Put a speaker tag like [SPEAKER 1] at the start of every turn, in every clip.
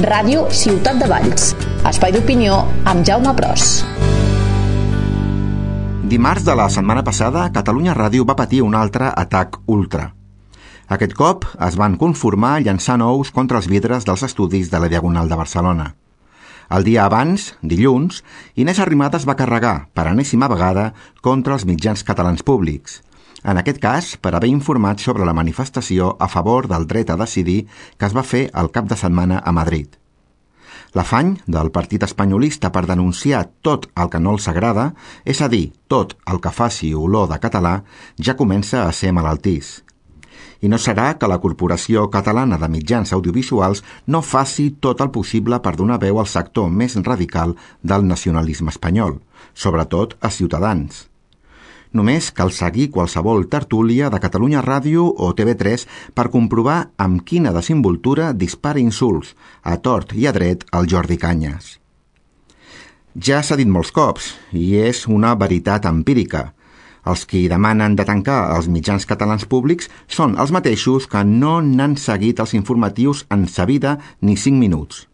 [SPEAKER 1] Ràdio Ciutat de Valls. Espai d'opinió amb Jaume Pros.
[SPEAKER 2] Dimarts de la setmana passada, Catalunya Ràdio va patir un altre atac ultra. Aquest cop es van conformar llançant ous contra els vidres dels estudis de la Diagonal de Barcelona. El dia abans, dilluns, Inés Arrimadas va carregar, per enèsima vegada, contra els mitjans catalans públics. En aquest cas, per haver informat sobre la manifestació a favor del dret a decidir que es va fer el cap de setmana a Madrid. L'afany del partit espanyolista per denunciar tot el que no els agrada, és a dir, tot el que faci olor de català, ja comença a ser malaltís. I no serà que la Corporació Catalana de Mitjans Audiovisuals no faci tot el possible per donar veu al sector més radical del nacionalisme espanyol, sobretot a Ciutadans. Només cal seguir qualsevol tertúlia de Catalunya Ràdio o TV3 per comprovar amb quina desimboltura dispara insults, a tort i a dret, al Jordi Cañas. Ja s'ha dit molts cops, i és una veritat empírica. Els qui demanen de tancar els mitjans catalans públics són els mateixos que no n'han seguit els informatius en sa vida ni 5 minuts.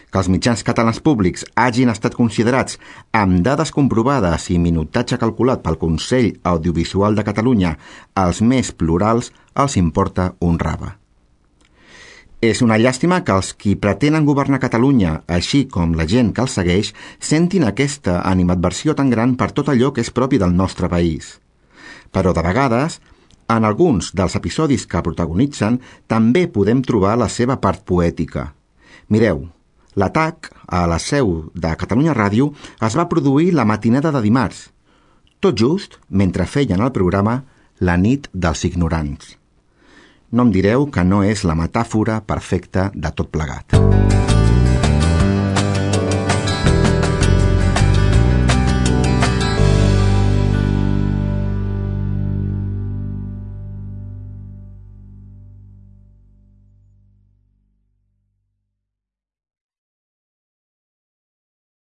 [SPEAKER 2] Que els mitjans catalans públics hagin estat considerats amb dades comprovades i minutatge calculat pel Consell Audiovisual de Catalunya els més plurals els importa un rave. És una llàstima que els qui pretenen governar Catalunya, així com la gent que els segueix, sentin aquesta animadversió tan gran per tot allò que és propi del nostre país. Però de vegades, en alguns dels episodis que protagonitzen, també podem trobar la seva part poètica. Mireu, l'atac a la seu de Catalunya Ràdio es va produir la matinada de dimarts, tot just mentre feien el programa La nit dels ignorants. No em direu que no és la metàfora perfecta de tot plegat.